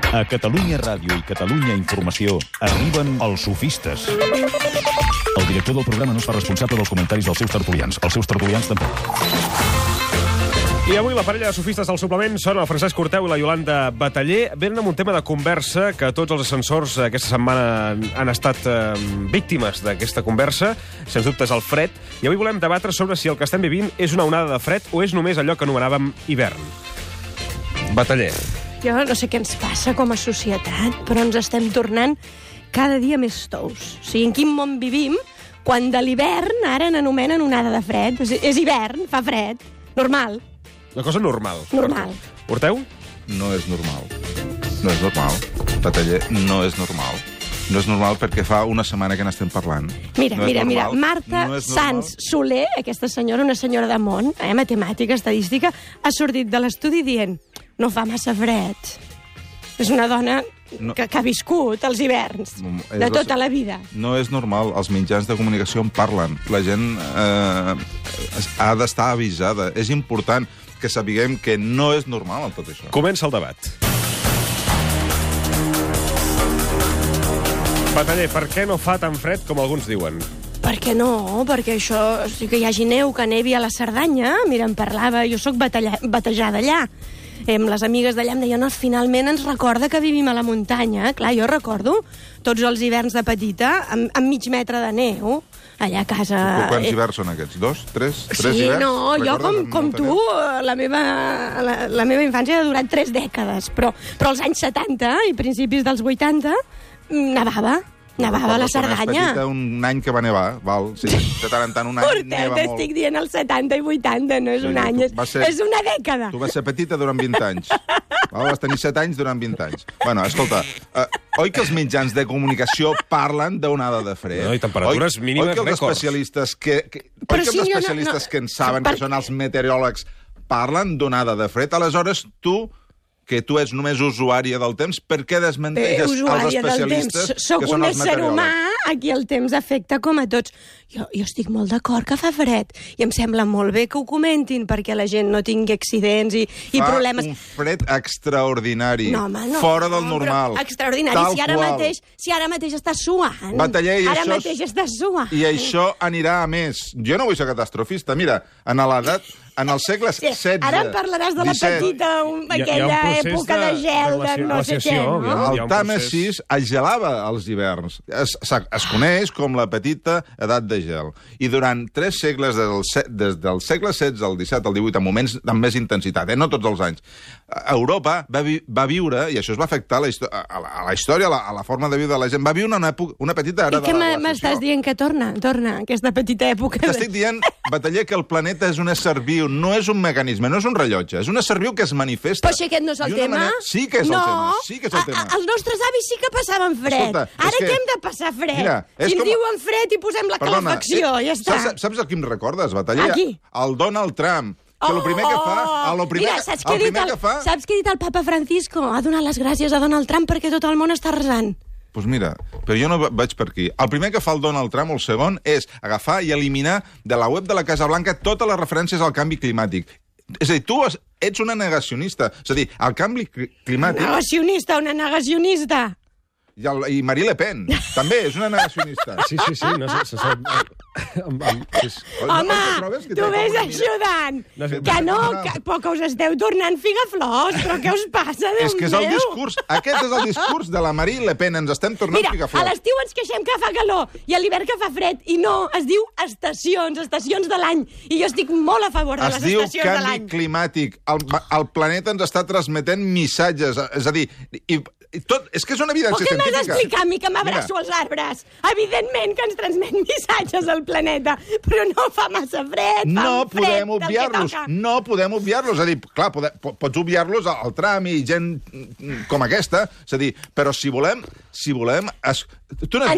A Catalunya Ràdio i Catalunya Informació arriben els sofistes. El director del programa no es fa responsable dels comentaris dels seus tertulians. Els seus tertulians tampoc. I avui la parella de sofistes del suplement són el Francesc Corteu i la Iolanda Bataller. Venen amb un tema de conversa que tots els ascensors aquesta setmana han estat víctimes d'aquesta conversa. Sens dubte és el fred. I avui volem debatre sobre si el que estem vivint és una onada de fred o és només allò que anomenàvem hivern. Bataller. Jo no sé què ens passa com a societat, però ens estem tornant cada dia més tous. O sigui, en quin món vivim quan de l'hivern ara n'anomenen onada de fred? És hivern, fa fred. Normal. Una cosa normal. Normal. Corteu? No és normal. No és normal. Bataller, no és normal. No és normal perquè fa una setmana que n'estem parlant. Mira, Marta Sans Soler, aquesta senyora, una senyora de món, matemàtica, estadística, ha sortit de l'estudi dient no fa massa fred. És una dona que ha viscut els hiverns de tota la vida. No és normal. Els mitjans de comunicació en parlen. La gent ha d'estar avisada. És important que sapiguem que no és normal tot això. Comença el debat. Bataller, per què no fa tan fred com alguns diuen? Per què no? Perquè això, que hi hagi neu, que nevi a la Cerdanya. Mira, em parlava, jo sóc batejada allà. Amb les amigues d'allà em deien, finalment ens recorda que vivim a la muntanya. Clar, jo recordo tots els hiverns de petita amb mig metre de neu allà a casa. Quants hiverns són aquests? 2? 3? 3 sí, hiverns? No, jo com tu, la meva infància ha durat 3 dècades, però als anys 70 i principis dels 80 nevava a la Cerdanya. Petita, un any que va nevar, val? Sí, de tant en tant un any neva molt. T'estic dient els 70 i 80, no és un any, és una dècada. Tu vas ser petita durant 20 anys. Vas tenir 7 anys durant 20 anys. Bueno, escolta, oi que els mitjans de comunicació parlen d'onada de fred? No, i temperatures mínimes rècords. Oi que els especialistes que en saben, que són els meteoròlegs, parlen d'onada de fred? Aleshores, que tu ets només usuària del temps, per què desmenteixes els especialistes que són els meteoròlegs? Soc un ésser humà a qui el temps afecta com a tots. Jo estic molt d'acord que fa fred, i em sembla molt bé que ho comentin perquè la gent no tingui accidents i problemes. Fa un fred extraordinari, no, fora del normal. Extraordinari, si ara mateix estàs suant. Bataller, mateix estàs suant. I això anirà a més. Jo no vull ser catastrofista. Mira, en els segles XVI... Ara em parlaràs de la petita, aquella època de gel, de no sé què, no? El Tàmesis es gelava als hiverns. Es coneix com la petita edat de gel. I durant 3 segles, des del segle XVI al XVII al XVIII, en moments amb més intensitat, no tots els anys, Europa va viure, i això es va afectar a la història, a la forma de viure de la gent, va viure una petita era de la glaciació. I què m'estàs dient que torna aquesta petita època? T'estic dient, Bataller, que el planeta és un ésser viu, no és un mecanisme, no és un rellotge, és un ésser viu que es manifesta. Però si aquest no és el tema? Sí que és el tema, sí que és el tema. Els nostres avis sí que passaven fred. Ara què hem de passar fred? Si ens diuen fred i posem la calefacció, ja està. Saps a qui em recordes, Bataller? A qui? El Donald Trump. Que el primer que fa... Saps què ha dit el papa Francisco? Ha donat les gràcies a Donald Trump perquè tot el món està resant. Doncs mira, però jo no vaig per aquí. El primer que fa el Donald Trump, el segon, és agafar i eliminar de la web de la Casa Blanca totes les referències al canvi climàtic. És a dir, tu ets una negacionista. És a dir, el canvi climàtic... Una negacionista. I Marie Le Pen, també, és una negacionista. Sí. No sé. Home, tu vés ajudant. Que us esteu tornant figaflors, però què us passa, Déu meu? És que és el discurs, aquest és el discurs de la Marie Le Pen, ens estem tornant pigaflors. Mira, a l'estiu ens queixem que fa calor, i a l'hivern que fa fred, i no, es diu estacions de l'any, i jo estic molt a favor de les estacions de l'any. Es diu canvi climàtic, el planeta ens està transmetent missatges, és a dir, és que és una evidència científica. M'has d'explicar a mi que m'abraço als arbres? Evidentment que ens transmet missatges al planeta, però no fa massa fred, no podem obviar-los. És a dir, clar, pots obviar-los al tram i gent com aquesta, és a dir, però si volem... Ens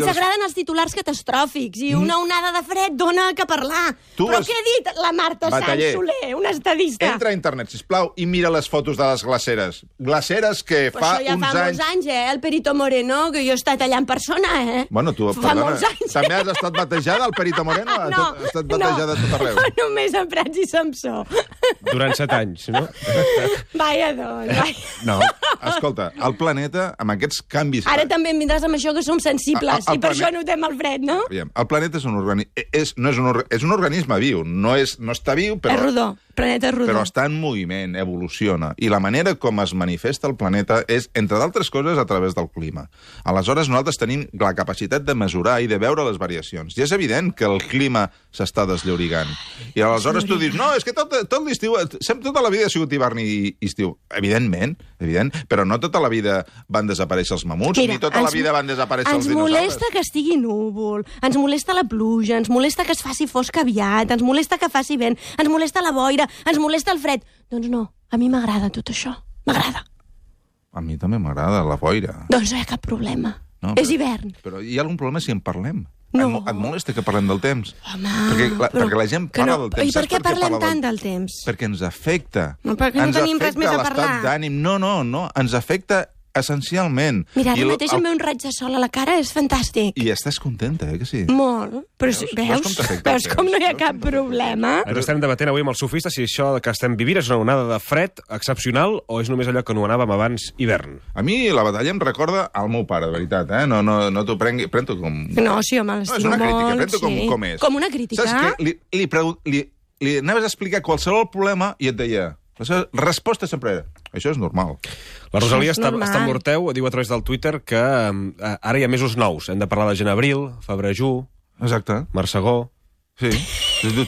agraden els titulars catastròfics i una onada de fred dona que parlar. Però què ha dit la Marta Sans Soler, una estadista? Entra a internet, sisplau, i mira les fotos de les glaceres. Glaceres que fa uns anys molts anys, el Perito Moreno, que jo he estat allà en persona, Bueno, tu, Fa molts anys. també has estat batejada al Perito Moreno? Has estat batejada a tot arreu? No, només a Prats i Samsó. Durant 7 anys, no? Vaja, doncs, vaja. No, escolta, el planeta, amb aquests canvis... Ara també em vindràs amb això que som sensibles, El i per planet- això notem el fred, no? Aviam, el planeta és un és un organisme viu, no està viu, però... És rodó, el planeta és rodó. Però està en moviment, evoluciona. I la manera com es manifesta el planeta és, entre d'altres coses, a través del clima. Aleshores, nosaltres tenim la capacitat de mesurar i de veure les variacions. I és evident que el clima s'està desllaurigant. I aleshores tu dius, no, és que tot l'estiu, tota la vida ha sigut hivern i estiu. Evidentment, però no tota la vida van desaparèixer els mamuts, ni tota la vida van desaparèixer els dinosaures. Ens molesta que estigui núvol, ens molesta la pluja, ens molesta que es faci fosc aviat, ens molesta que faci vent, ens molesta la boira, ens molesta el fred. Doncs no, a mi m'agrada tot això. M'agrada. A mi també m'agrada la boira. Doncs no hi ha cap problema. No, és hivern. Però hi ha algun problema si en parlem? No. Et molesta que parlem del temps? Home, perquè la gent parla del temps. I per Saps què parlem parla tant del temps? Perquè ens afecta. No, perquè no tenim res més a parlar. L'estat d'ànim. No, ens afecta essencialment. Mira, ara mateix em ve un raig de sol a la cara, és fantàstic. I estàs contenta, que sí? Molt. Però veus com no hi ha cap problema? Ens estem debatent avui amb els sofistes si això que estem vivint és una onada de fred excepcional o és només allò que anomenàvem abans hivern. A mi la batalla em recorda al meu pare, de veritat, No t'ho pren-t'ho com... No, sí, home, l'estimo molt. No, és una crítica, pren-t'ho com és. Com una crítica? Saps què? Li anaves a explicar qualsevol problema i et deia... La seva resposta sempre era, això és normal. La Rosalia és està normal. amb l'Horteu, diu a través del Twitter que ara hi ha mesos nous. Hem de parlar de genebril, febrejú, Exacte. marsegó... Sí.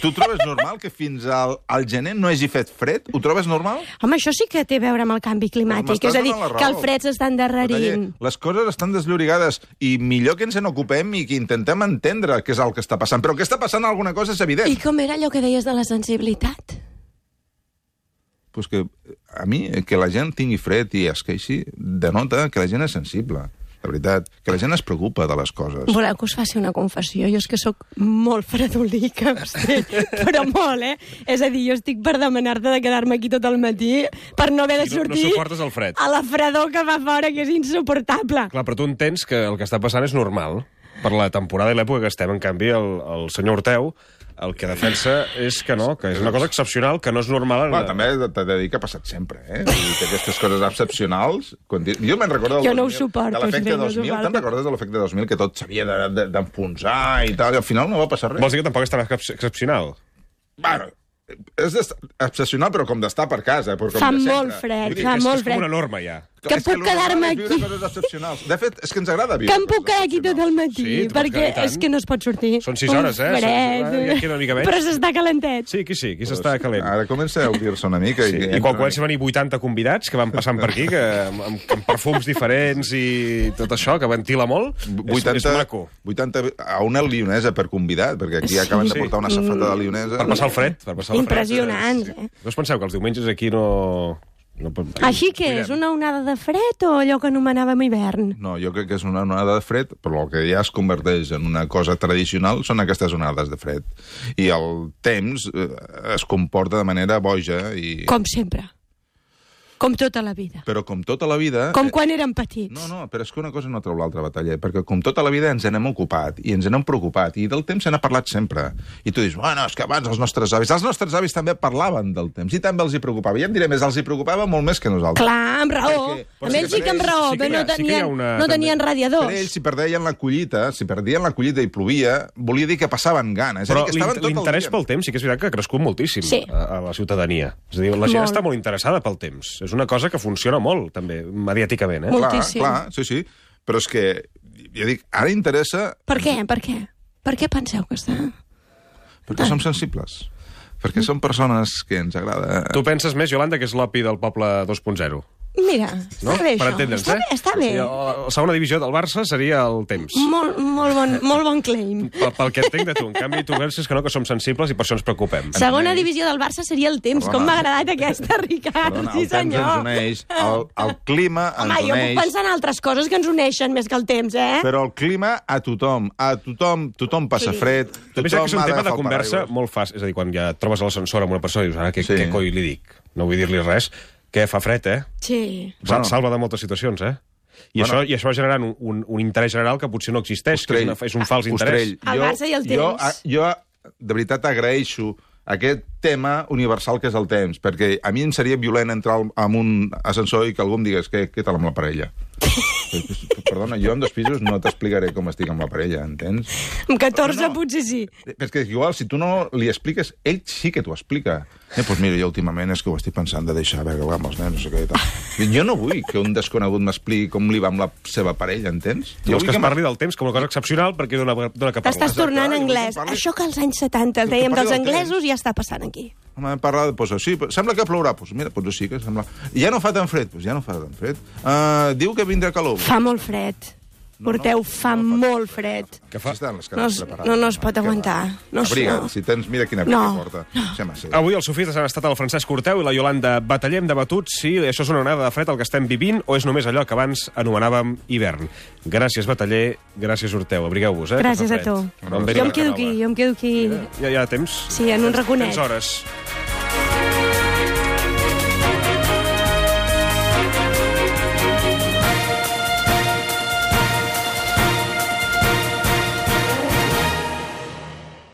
Tu trobes normal que fins al gener no hagi fet fred? Ho trobes normal? Home, això sí que té a veure amb el canvi climàtic. És a dir, que el fred s'està endarrerint. Les coses estan desllorigades i millor que ens n'ocupem i que intentem entendre què és el que està passant. Però què està passant alguna cosa és evident. I com era allò que deies de la sensibilitat? Pues que a mi, que la gent tingui fred i es queixi, denota que la gent és sensible. De veritat, que la gent es preocupa de les coses. Voleu que us faci una confessió? Jo és que sóc molt fredolica, però molt, És a dir, jo estic per demanar-te de quedar-me aquí tot el matí per no haver de sortir no suportes el fred. a la fredor que fa fora, que és insuportable. Clar, però tu entens que el que està passant és normal per la temporada i l'època que estem. En canvi, el senyor Horteu el que defensa és que no, que és una cosa excepcional, que no és normal. Bueno, també t'he de dir que ha passat sempre, Vull dir que aquestes coses excepcionals... Jo me'n recordo del Jo no ho 2000, suporto, de l'efecte això no 2000. suporto. Te'n recordes de l'efecte 2000, que tot s'havia d'enfonsar i tal, i al final no va passar res? Vols dir que tampoc és tan excepcional? Bueno, és excepcional, però com d'estar per casa. Però com Fa de sempre. molt fred, Vull dir, fa és molt És com fred. una norma, ja. Que és puc lo quedar-me normal és viure aquí. coses excepcionals. De fet, és que ens agrada viure Que em puc coses quedar aquí tot el matí, Sí, tu pots perquè quedar i tant. és que no es pot sortir. Són 6 hores, Un fred. Ja queda una mica menys. Però s'està calentet. Sí, aquí s'està calent. Ara comença a obrir-se una mica. Sí, i quan comencen a venir 80 convidats que van passant per aquí, que amb perfums diferents i tot això, que ventila molt, és maco. 80 a una lionesa per convidat, perquè aquí acaben de portar una safata de lionesa. Per passar el fred. Impressionant, No us penseu que els diumenges aquí no... Així que és una onada de fred o allò que anomenàvem hivern? No, jo crec que és una onada de fred, però el que ja es converteix en una cosa tradicional són aquestes onades de fred. I el temps es comporta de manera boja i... Com sempre. Com tota la vida. Però com tota la vida... Com quan érem petits. No, però és que una cosa no treu l'altra, Batalla, perquè com tota la vida ens n'hem ocupat i ens n'hem preocupat, i del temps se n'ha parlat sempre. I tu dius, bueno, és que abans els nostres avis també parlaven del temps, i també els hi preocupava. I em diré més, els hi preocupava molt més que nosaltres. Clar, amb raó. Amb ells sí que amb raó, però no tenien radiadors. Per ells, si perdien la collita i plovia, volia dir que passaven gana. Però l'interès pel temps sí que és veritat que ha crescut moltíssim a la ciutadania. És a dir, la gent està molt interessada pel temps. És una cosa que funciona molt, també, mediàticament. Moltíssim. Clar, sí. Però és que, ja dic, ara interessa... Per què? Per què penseu que està? Perquè som sensibles. Perquè som persones que ens agrada... Tu penses més, Yolanda, que és l'opi del poble 2.0. Mira, No? està bé Per això. entendre'ns, Està bé. La segona divisió del Barça seria el temps. Molt bon claim. Pel que entenc de tu. En canvi, tu penses que no, que som sensibles i per això ens preocupem. Segona divisió del Barça seria el temps. Perdona. Com m'ha agradat aquesta, Ricard. Perdona, Sí, el temps ens senyor. uneix, el clima ens Home, jo puc uneix... pensar en altres coses que ens uneixen més que el temps, Però el clima a tothom passa fred, També sé que és un ha tema de d'agafar el conversa paraigües. molt fàcil. És a dir, quan ja et trobes a l'ascensor amb una persona i dius, ara, què coi li dic? No vull dir-li res. Que fa fred, Sí. Bueno. Salva de moltes situacions, I això va generant un interès general que potser no existeix, que és un fals interès. El Barça i el temps. Jo, de veritat, agraeixo aquest tema universal que és el temps, perquè a mi em seria violent entrar en un ascensor i que algú em digués què tal amb la parella. Perdona, jo amb 2 pisos no t'explicaré com estic amb la parella, entens? Amb 14 potser sí. És que igual, si tu no li expliques, ell sí que t'ho explica. Doncs mira, jo últimament és que ho estic pensant de deixar veure amb els nens, no sé què i tal. Jo no vull que un desconegut m'expliqui com li va amb la seva parella, entens? Jo vull que es parli del temps com una cosa excepcional perquè dona que parlar. T'estàs tornant anglès. Això que als anys 70 dèiem dels anglesos ja està passant aquí. Home, hem parlat, doncs sí, sembla que plourà. Doncs mira, doncs sí que sembla... Ja no fa tan fred, doncs ja no fa tan fred. Diu que vindrà calor. Fa molt fred. Porteu, fa molt fred. Que fa? No es pot aguantar. Abriga't, si tens... Mira quina abriga porta. Avui els sofistes han estat el Francesc Corteu i la Iolanda Bataller. Hem debatut si això és una onada de fred el que estem vivint o és només allò que abans anomenàvem hivern. Gràcies, Bataller. Gràcies, Corteu. Abrigueu-vos, Gràcies a tu. Jo em quedo aquí. Ja hi ha temps. Sí, en un raconet. Tens hores.